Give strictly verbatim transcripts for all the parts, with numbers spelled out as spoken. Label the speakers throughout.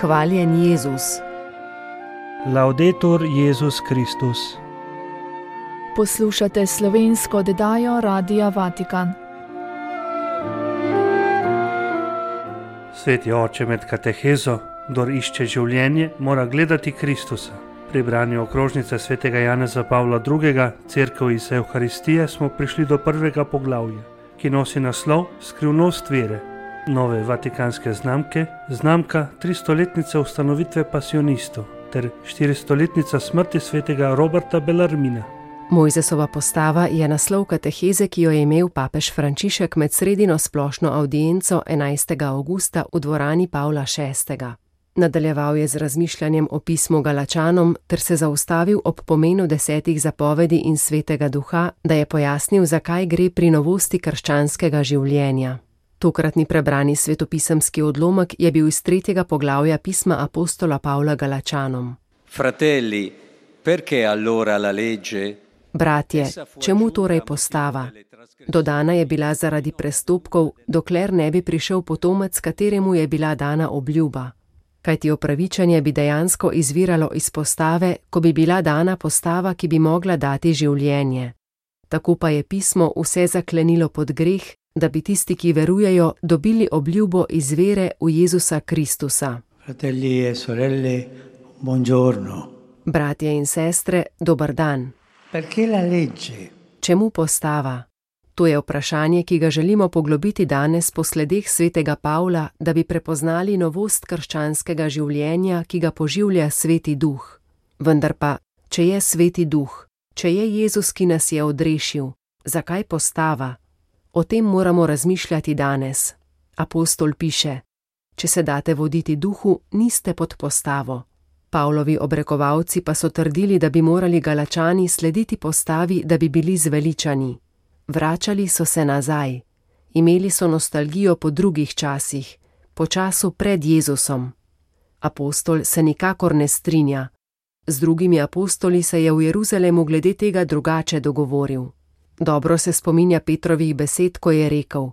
Speaker 1: Hvaljen Jezus.
Speaker 2: Laudetur Jezus Kristus.
Speaker 3: Poslušate slovensko oddajo Radia Vatikan.
Speaker 2: Sveti oče, med katehezo, kdor išče življenje, mora gledati Kristusa. Pri branju okrožnice svetega Janeza Pavla drugega, Cerkev iz Evharistije, smo prišli do prvega poglavja, ki nosi naslov Skrivnost vere. Nove vatikanske znamke, znamka tristoletnice ustanovitve pasionistov ter štiristoletnica smrti svetega Roberta Bellarmina.
Speaker 1: Mojzesova postava je naslov kateheze, ki jo je imel papež Frančišek med sredino splošno avdienco enajstega avgusta v dvorani Pavla šestega. Nadaljeval je z razmišljanjem o pismu Galačanom ter se zaustavil ob pomenu desetih zapovedi in svetega duha, da je pojasnil, zakaj gre pri novosti krščanskega življenja. Tokratni prebrani svetopisemski odlomek je bil iz tretjega poglavja pisma apostola Pavla Galačanom.
Speaker 4: Fratelli, perché allora la legge?
Speaker 1: Bratje, čemu torej postava? Dodana je bila zaradi prestopkov, dokler ne bi prišel potomec, kateremu je bila dana obljuba. Kajti opravičenje bi dejansko izviralo iz postave, ko bi bila dana postava, ki bi mogla dati življenje. Tako pa je pismo vse zaklenilo pod greh, da bi tisti, ki verujejo, dobili obljubo iz vere v Jezusa Kristusa.
Speaker 5: Fratelli e sorelle, buongiorno.
Speaker 1: Bratje in sestre, dober dan.
Speaker 5: Perché la legge?
Speaker 1: Čemu postava? To je vprašanje, ki ga želimo poglobiti danes po sledeh svetega Pavla, da bi prepoznali novost krščanskega življenja, ki ga poživlja sveti duh. Vendar pa, če je sveti duh, če je Jezus, ki nas je odrešil, zakaj postava? O tem moramo razmišljati danes. Apostol piše: če se date voditi duhu, niste pod postavo. Pavlovi obrekovalci pa so trdili, da bi morali Galačani slediti postavi, da bi bili zveličani. Vračali so se nazaj. Imeli so nostalgijo po drugih časih, po času pred Jezusom. Apostol se nikakor ne strinja. Z drugimi apostoli se je v Jeruzalemu glede tega drugače dogovoril. Dobro se spominja Petrovih besed, ko je rekel: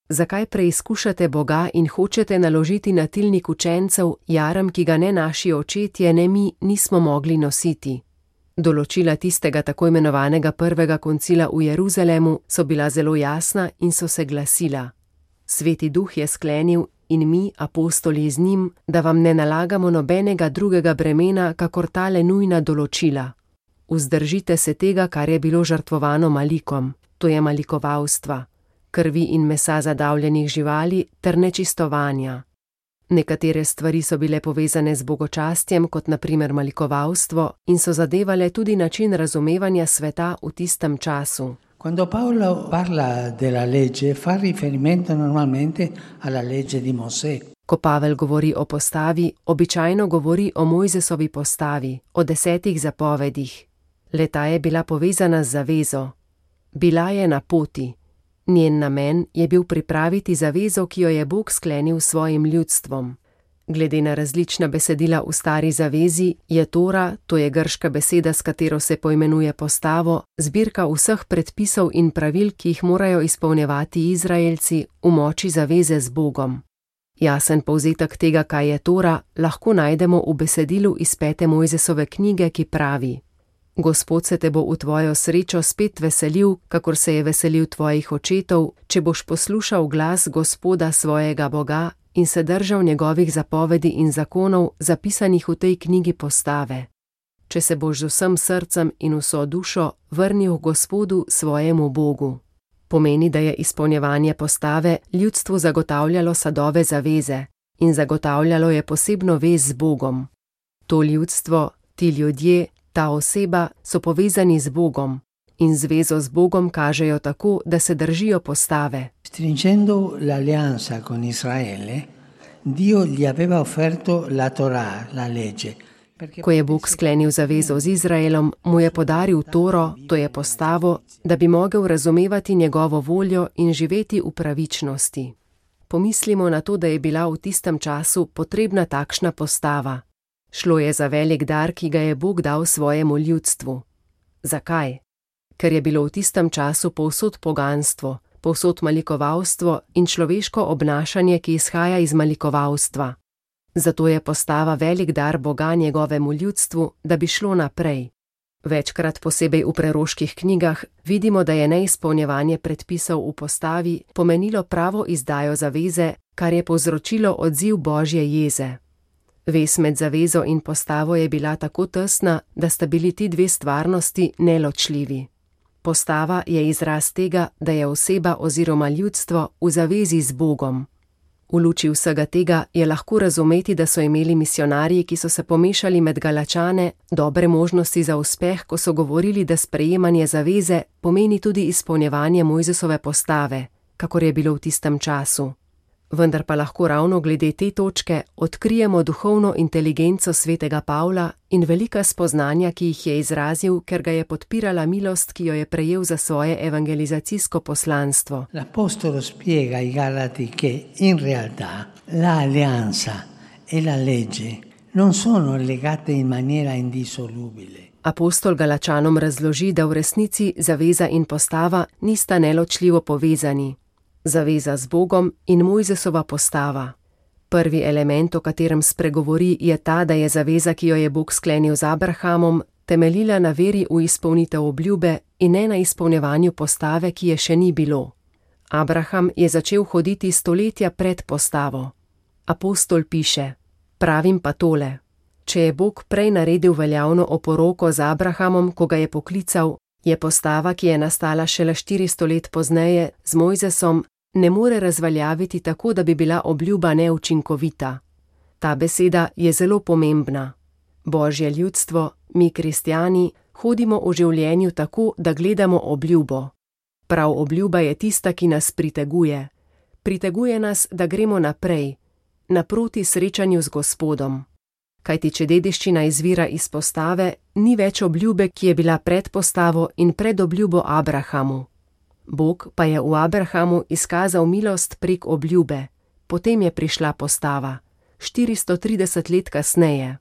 Speaker 1: zakaj preizkušate Boga in hočete naložiti na tilnik učencev jarem, ki ga ne naši očetje, ne mi nismo mogli nositi? Določila tistega tako imenovanega prvega koncila v Jeruzalemu so bila zelo jasna in so se glasila: Sveti duh je sklenil in mi, apostoli z njim, da vam ne nalagamo nobenega drugega bremena, kakor tale nujna določila. Vzdržite se tega, kar je bilo žrtvovano malikom, to je malikovalstva, krvi in mesa zadavljenih živali ter nečistovanja. Nekatere stvari so bile povezane z bogočastjem, kot na primer malikovalstvo, in so zadevale tudi način razumevanja sveta v tistem času.
Speaker 5: Quando Paolo parla della legge, fa riferimento normalmente alla legge di Mosè.
Speaker 1: Ko Pavel govori o postavi, običajno govori o Mojzesovi postavi, o desetih zapovedih. Le-ta je bila povezana z zavezo. Bila je na poti. Njen namen je bil pripraviti zavezo, ki jo je Bog sklenil s svojim ljudstvom. Glede na različna besedila v stari zavezi, je Tora, to je grška beseda, s katero se poimenuje postavo, zbirka vseh predpisov in pravil, ki jih morajo izpolnjevati Izraelci v moči zaveze z Bogom. Jasen povzetek tega, kaj je Tora, lahko najdemo v besedilu iz pete Mojzesove knjige, ki pravi: Gospod se te bo v tvojo srečo spet veselil, kakor se je veselil tvojih očetov, če boš poslušal glas Gospoda svojega Boga in se držal njegovih zapovedi in zakonov, zapisanih v tej knjigi postave. Če se boš z vsem srcem in vso dušo vrnil Gospodu svojemu Bogu. Pomeni, da je izpolnjevanje postave ljudstvu zagotavljalo sadove zaveze in zagotavljalo je posebno vez z Bogom. To ljudstvo, ti ljudje, ta oseba so povezani z Bogom in zvezo z Bogom kažejo tako, da se držijo postave.
Speaker 5: Stringendo l'alleanza con Israele, Dio gli aveva offerto la Torah, la legge.
Speaker 1: Ko je Bog sklenil zavezo z Izraelom, mu je podaril Toro, to je postavo, da bi mogel razumevati njegovo voljo in živeti v pravičnosti. Pomislimo na to, da je bila v tistem času potrebna takšna postava. Šlo je za velik dar, ki ga je Bog dal svojemu ljudstvu. Zakaj? Ker je bilo v tistem času povsod poganstvo, povsod malikovalstvo in človeško obnašanje, ki izhaja iz malikovalstva. Zato je postava velik dar Boga njegovemu ljudstvu, da bi šlo naprej. Večkrat, posebej v preroških knjigah, vidimo, da je neizpolnjevanje predpisov v postavi pomenilo pravo izdajo zaveze, kar je povzročilo odziv Božje jeze. Vez med zavezo in postavo je bila tako tesna, da sta bili ti dve stvarnosti neločljivi. Postava je izraz tega, da je oseba oziroma ljudstvo v zavezi z Bogom. V luči vsega tega je lahko razumeti, da so imeli misionarji, ki so se pomešali med Galačane, dobre možnosti za uspeh, ko so govorili, da sprejemanje zaveze pomeni tudi izpolnjevanje Mojzesove postave, kakor je bilo v tistem času. Vendar pa lahko ravno glede te točke odkrijemo duhovno inteligenco svetega Pavla in velika spoznanja, ki jih je izrazil, ker ga je podpirala milost, ki jo je prejel za svoje evangelizacijsko poslanstvo.
Speaker 5: L'Apostolo spiega ai Galati che in realtà la alleanza e la legge non sono legate in maniera indissolubile.
Speaker 1: Apostol Galačanom razloži, da v resnici zaveza in postava nista neločljivo povezani. Zaveza z Bogom in Mojzesova postava. Prvi element, o katerem spregovori, je ta, da je zaveza, ki jo je Bog sklenil z Abrahamom, temeljila na veri v izpolnitev obljube in ne na izpolnjevanju postave, ki je še ni bilo. Abraham je začel hoditi stoletja pred postavo. Apostol piše: pravim pa tole, če je Bog prej naredil veljavno oporoko z Abrahamom, ko ga je poklical, je postava, ki je nastala šele štiristo let pozneje z Mojzesom, ne more razveljaviti tako, da bi bila obljuba neučinkovita. Ta beseda je zelo pomembna. Božje ljudstvo, mi kristjani, hodimo v življenju tako, da gledamo obljubo. Prav obljuba je tista, ki nas priteguje. Priteguje nas, da gremo naprej, naproti srečanju z Gospodom. Kajti če dediščina izvira iz postave, ni več obljube, ki je bila pred postavo in pred obljubo Abrahamu. Bog pa je v Abrahamu izkazal milost prek obljube, potem je prišla postava, štiristo trideset let kasneje.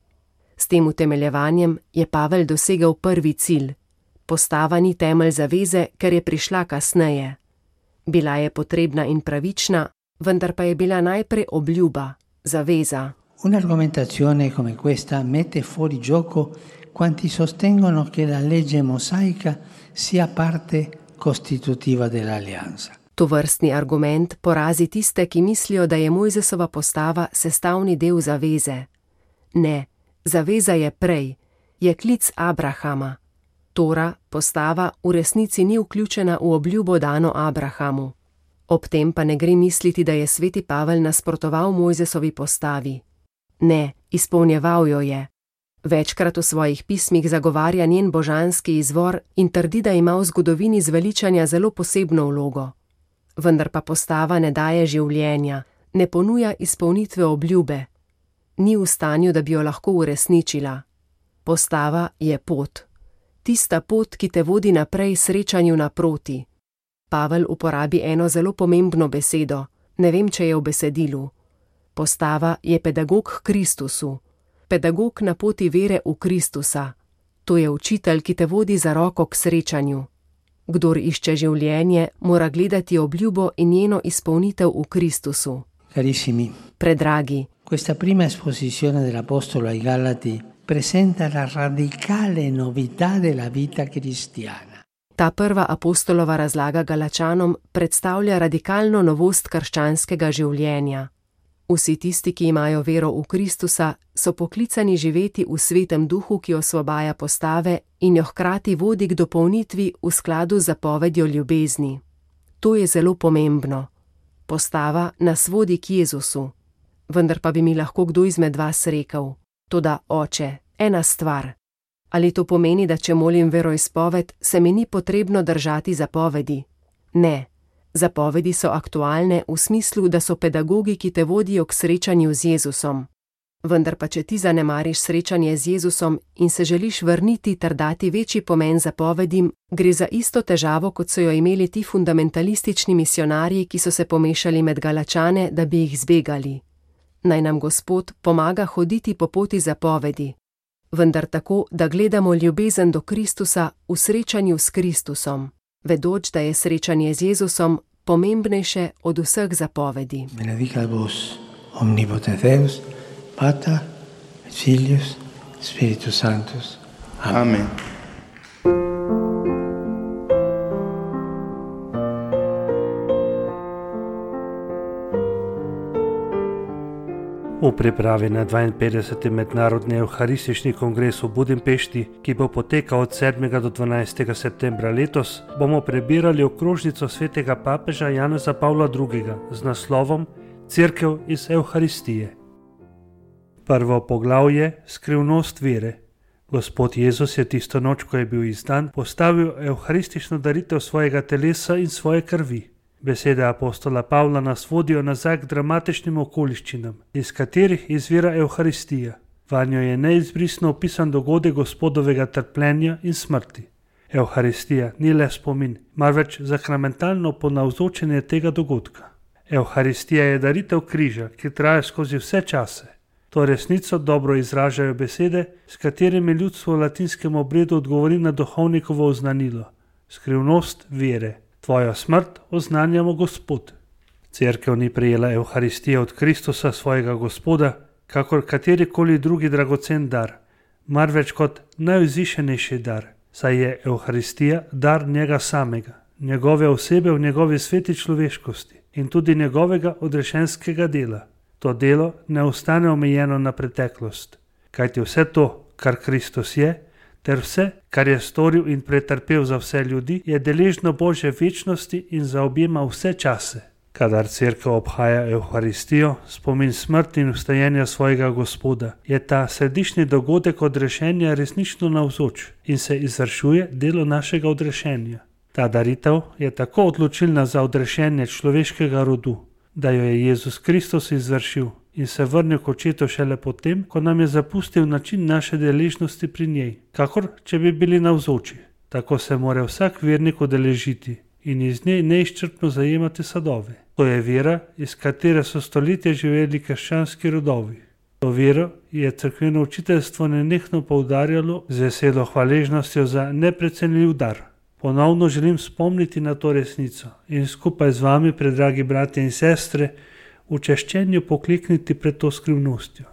Speaker 1: S tem utemeljevanjem je Pavel dosegel prvi cilj. Postava ni temelj zaveze, ker je prišla kasneje. Bila je potrebna in pravična, vendar pa je bila najprej obljuba, zaveza.
Speaker 5: Un'argomentazione come questa mette fuori gioco quanti sostengono che la legge mosaica sia parte costitutiva dell'alleanza.
Speaker 1: Tovrstni argument porazi tiste, ki mislijo, da je Mojzesova postava sestavni del zaveze. Ne, zaveza je prej, je klic Abrahama. Tora, postava, v resnici ni vključena v obljubo dano Abrahamu. Ob tem pa ne gre misliti, da je sveti Pavel nasprotoval Mojzesovi postavi. Ne, izpolnjeval jo je. Večkrat v svojih pismih zagovarja njen božanski izvor in trdi, da ima v zgodovini zveličanja zelo posebno vlogo. Vendar pa postava ne daje življenja, ne ponuja izpolnitve obljube. Ni v stanju, da bi jo lahko uresničila. Postava je pot. Tista pot, ki te vodi naprej srečanju naproti. Pavel uporabi eno zelo pomembno besedo, ne vem, če je v besedilu. Postava je pedagog k Kristusu. Pedagog na poti vere v Kristusa. To je učitelj, ki te vodi za roko k srečanju. Kdor išče življenje, mora gledati obljubo in njeno izpolnitev v Kristusu.
Speaker 5: Carissimi,
Speaker 1: Predragi,
Speaker 5: questa prima esposizione dell'Apostolo ai Galati presenta la radicale novità della vita cristiana.
Speaker 1: ta prva apostolova razlaga Galačanom predstavlja radikalno novost krščanskega življenja. Vsi tisti, ki imajo vero v Kristusa, so poklicani živeti v svetem duhu, ki osvobaja postave in jo hkrati vodi k dopolnitvi v skladu z zapovedjo ljubezni. To je zelo pomembno. Postava nas vodi k Jezusu. Vendar pa bi mi lahko kdo izmed vas rekel: toda, oče, ena stvar. Ali to pomeni, da če molim veroizpoved, se mi ni potrebno držati zapovedi? Ne. Zapovedi so aktualne v smislu, da so pedagogi, ki te vodijo k srečanju z Jezusom. Vendar pa če ti zanemariš srečanje z Jezusom in se želiš vrniti ter dati večji pomen zapovedim, gre za isto težavo, kot so jo imeli ti fundamentalistični misionarji, ki so se pomešali med Galačane, da bi jih zbegali. Naj nam Gospod pomaga hoditi po poti zapovedi, vendar tako, da gledamo ljubezen do Kristusa v srečanju s Kristusom, vedoč, da je srečanje z Jezusom pomembnejše od vseh zapovedi.
Speaker 5: Benedicat vos, omnipotens Deus, Pater, et Filius, Spiritus Sanctus. Amen.
Speaker 6: Amen.
Speaker 2: V pripravi na dvainpetdeseti mednarodni evharistični kongres v Budimpešti, ki bo potekal od sedmega do dvanajstega septembra letos, bomo prebirali okrožnico svetega papeža Janeza Pavla drugega z naslovom Cerkev iz Evharistije. Prvo poglavje: Skrivnost vere. Gospod Jezus je tisto noč, ko je bil izdan, postavil evharistično daritev svojega telesa in svoje krvi. Besede apostola Pavla nas vodijo nazaj k dramatičnim okoliščinam, iz katerih izvira Evharistija. Vanjo je neizbrisno opisan dogodek Gospodovega trpljenja in smrti. Evharistija ni le spomin, marveč sakramentalno ponavzočenje tega dogodka. Evharistija je daritev križa, ki traja skozi vse čase. To resnico dobro izražajo besede, s katerimi ljudstvo v latinskem obredu odgovori na duhovnikovo oznanilo. Skrivnost vere. Tvojo smrt oznanjamo Gospod. Cerkev ni prejela Evharistije od Kristusa, svojega Gospoda, kakor katerikoli drugi dragocen dar, marveč kot najvzvišenejši dar, saj je Evharistija dar njega samega, njegove osebe v njegovi sveti človeškosti in tudi njegovega odrešenskega dela. To delo ne ostane omejeno na preteklost, kajti vse to, kar Kristus je, ter vse, kar je storil in pretrpel za vse ljudi, je deležno Božje večnosti in zaobjema vse čase. Kadar cerkev obhaja Evharistijo, spomin smrti in vstajenja svojega Gospoda, je ta središnji dogodek odrešenja resnično navzoč in se izvršuje delo našega odrešenja. Ta daritev je tako odločilna za odrešenje človeškega rodu, da jo je Jezus Kristus izvršil in se vrnil k Očetu šele potem, ko nam je zapustil način naše deležnosti pri njej, kakor če bi bili navzoči. Tako se mora vsak vernik udeležiti in iz nje neizčrpno zajemati sadove. To je vera, iz katere so stoletja živeli krščanski rodovi. To vero je cerkveno učiteljstvo nenehno poudarjalo z veselo hvaležnostjo za neprecenljiv dar. Ponovno želim spomniti na to resnico in skupaj z vami, predragi bratje in sestre, v češčenju poklekniti pred to skrivnostjo.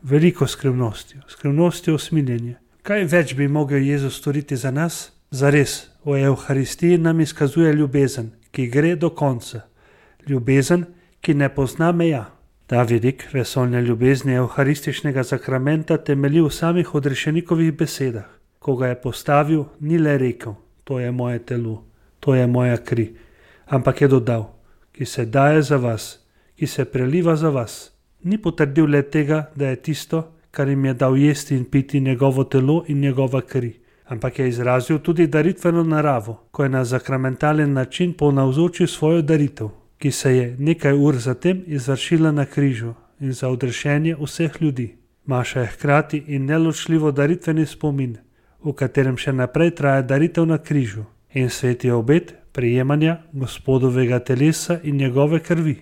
Speaker 2: Veliko skrivnostjo, skrivnostjo usmiljenja. Kaj več bi mogel Jezus storiti za nas? Zares, v Evharistiji nam izkazuje ljubezen, ki gre do konca. Ljubezen, ki ne pozna meja. Ta vidik vesoljne ljubezni evharističnega sakramenta temelji v samih odrešenikovih besedah. Ko ga je postavil, ni le rekel: to je moje telo, to je moja kri, ampak je dodal: ki se daje za vas, ki se preliva za vas. Ni potrdil le tega, da je tisto, kar jim je dal jesti in piti, njegovo telo in njegova kri, ampak je izrazil tudi daritveno naravo, ko je na sakramentalen način ponavzočil svojo daritev, ki se je nekaj ur zatem izvršila na križu in za odrešenje vseh ljudi. Maša je hkrati in neločljivo daritveni spomin, v katerem še naprej traja daritev na križu in sveti obet prejemanja Gospodovega telesa in njegove krvi.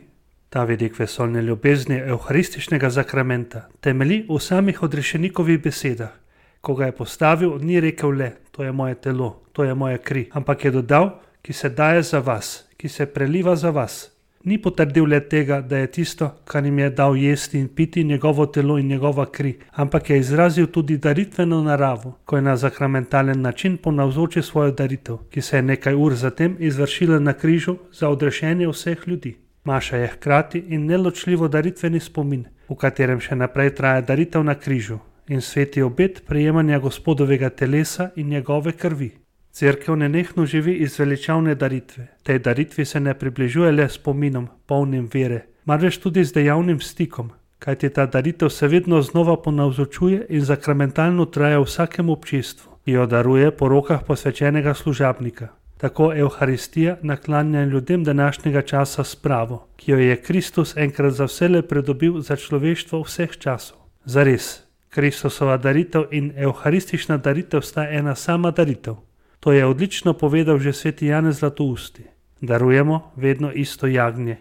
Speaker 2: Ta vidik vesoljne ljubezni evharističnega sakramenta temelji v samih odrešenikovih besedah. Ko ga je postavil, ni rekel le: to je moje telo, to je moja kri, ampak je dodal: ki se daje za vas, ki se preliva za vas. Ni potrdil le tega, da je tisto, kar jim je dal jesti in piti, njegovo telo in njegova kri, ampak je izrazil tudi daritveno naravo, ko je na sakramentalen način ponavzočil svojo daritev, ki se je nekaj ur zatem izvršila na križu za odrešenje vseh ljudi. Maša je hkrati in neločljivo daritveni spomin, v katerem še naprej traja daritev na križu in sveti obet prejemanja Gospodovega telesa in njegove krvi. Cerkev nenehno živi iz veličavne daritve. Tej daritvi se ne približuje le spominom, polnim vere, marveč tudi z dejavnim stikom, kajti ta daritev se vedno znova ponavzočuje in sakramentalno traja v vsakem občestvu, ki jo daruje po rokah posvečenega služabnika. Tako Evharistija naklanja ljudem današnjega časa spravo, ki jo je Kristus enkrat za vselej pridobil za človeštvo vseh časov. Zares, Kristusova daritev in evharistična daritev sta ena sama daritev. To je odlično povedal že sveti Janez Zlatousti. Darujemo vedno isto jagnje,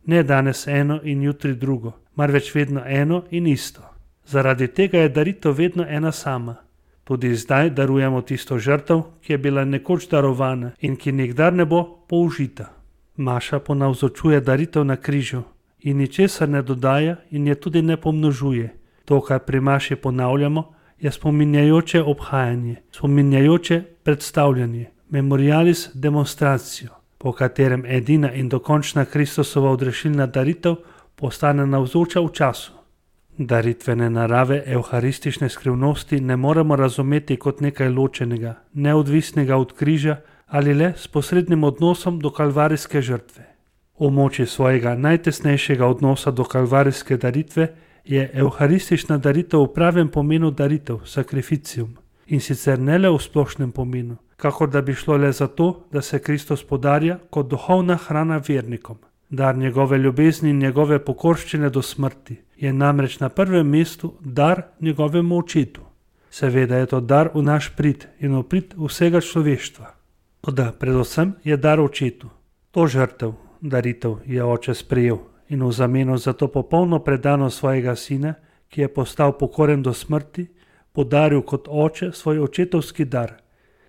Speaker 2: ne danes eno in jutri drugo, marveč vedno eno in isto. Zaradi tega je daritev vedno ena sama. Tudi zdaj darujemo tisto žrtev, ki je bila nekoč darovana in ki nikdar ne bo použita. Maša ponavzočuje daritev na križu in ničesar ne dodaja in je tudi ne pomnožuje, To, kar pri maši ponavljamo, je spominjajoče obhajanje, spominjajoče predstavljanje, memorialis demonstratio, po katerem edina in dokončna Kristusova odrešilna daritev postane navzoča v času. Daritvene narave evharistične skrivnosti ne moremo razumeti kot nekaj ločenega, neodvisnega od križa ali le s posrednim odnosom do kalvarijske žrtve. V moči svojega najtesnejšega odnosa do kalvarijske daritve je evharistična daritev v pravem pomenu daritev, sakrificium, in sicer ne le v splošnem pomenu, kakor da bi šlo le za to, da se Kristus podarja kot duhovna hrana vernikom. Dar njegove ljubezni in njegove pokorščine do smrti je namreč na prvem mestu dar njegovemu očetu. Seveda je to dar v naš prid in v prid vsega človeštva. Toda predvsem je dar očetu. To žrtev, daritev je oče sprejel in v zameno za to popolno predanost svojega sina, ki je postal pokoren do smrti, podaril kot oče svoj očetovski dar,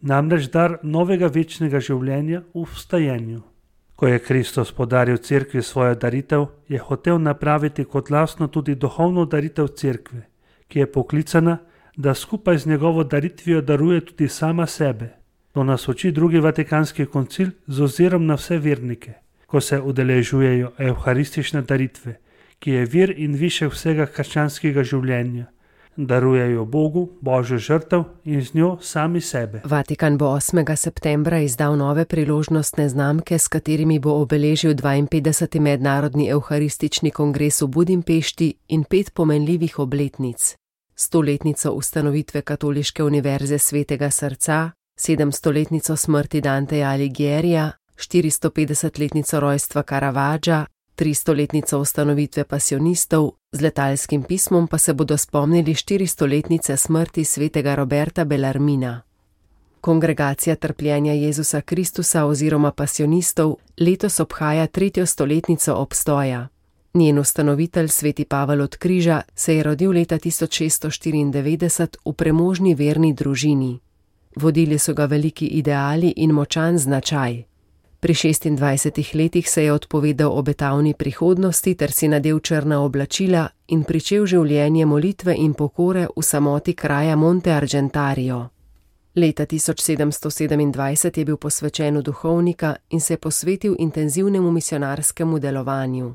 Speaker 2: namreč dar novega večnega življenja v vstajenju. Ko je Kristus podaril cerkvi svojo daritev, je hotel napraviti kot lastno tudi duhovno daritev cerkve, ki je poklicana, da skupaj z njegovo daritvijo daruje tudi sama sebe. To nas uči drugi vatikanski koncil z ozirom na vse vernike, ko se udeležujejo evharistične daritve, ki je vir in višek vsega krščanskega življenja. Darujejo Bogu Božjo žrtev in z njo sami sebe.
Speaker 1: Vatikan bo osmega septembra izdal nove priložnostne znamke, s katerimi bo obeležil dvainpetdeseti mednarodni evharistični kongres v Budimpešti in pet pomenljivih obletnic. Stoletnico ustanovitve Katoliške univerze Svetega srca, sedemstoletnico smrti Danteja Alighiera, štiristopetdesetletnico rojstva Caravaggia, tristoletnico ustanovitve pasionistov, z letalskim pismom pa se bodo spomnili štiristoletnice smrti svetega Roberta Bellarmina. Kongregacija trpljenja Jezusa Kristusa oziroma pasionistov letos obhaja tretjo stoletnico obstoja. Njen ustanovitelj, sveti Pavel od Križa, se je rodil leta tisoč šeststo štiriindevetdeset v premožni verni družini. Vodili so ga veliki ideali in močan značaj. Pri šestindvajsetih letih se je odpovedal obetavni prihodnosti ter si nadel črna oblačila in pričel življenje molitve in pokore v samoti kraja Monte Argentario. Leta tisoč sedemsto sedemindvajset je bil posvečen v duhovnika in se posvetil intenzivnemu misionarskemu delovanju.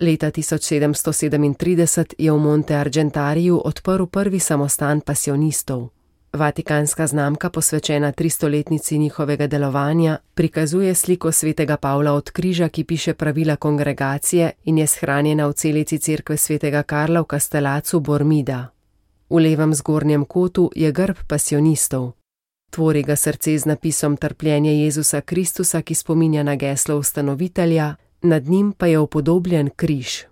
Speaker 1: Leta tisoč sedemsto sedemintrideset je v Monte Argentariju odprl prvi samostan pasionistov. Vatikanska znamka, posvečena tristoletnici njihovega delovanja, prikazuje sliko svetega Pavla od Križa, ki piše pravila kongregacije in je shranjena v celici cerkve svetega Karla v Castellacu Bormida. V levem zgornjem kotu je grb pasionistov. Tvori ga srce z napisom Trpljenje Jezusa Kristusa, ki spominja na geslo ustanovitelja, nad njim pa je upodobljen križ.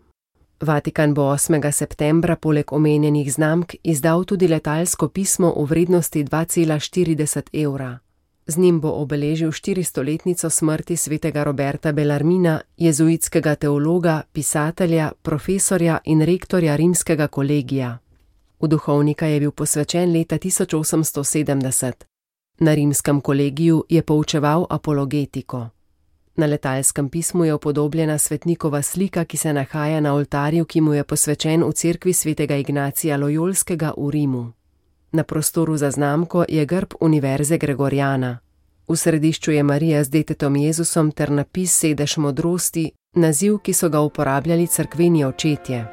Speaker 1: Vatikan bo osmega septembra poleg omenjenih znamk izdal tudi letalsko pismo v vrednosti dva cela štirideset evra. Z njim bo obeležil štiristoletnico smrti svetega Roberta Bellarmina, jezuitskega teologa, pisatelja, profesorja in rektorja rimskega kolegija. V duhovnika je bil posvečen leta tisoč osemsto sedemdeset. Na rimskem kolegiju je poučeval apologetiko. Na letalskem pismu je upodobljena svetnikova slika, ki se nahaja na oltarju, ki mu je posvečen v cerkvi svetega Ignacija Lojolskega v Rimu. Na prostoru za znamko je grb Univerze Gregoriana. V središču je Marija z detetom Jezusom ter napis Sedež modrosti, naziv, ki so ga uporabljali cerkveni očetje.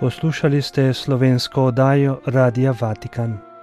Speaker 2: Poslušali ste slovensko oddajo Radia Vatikan.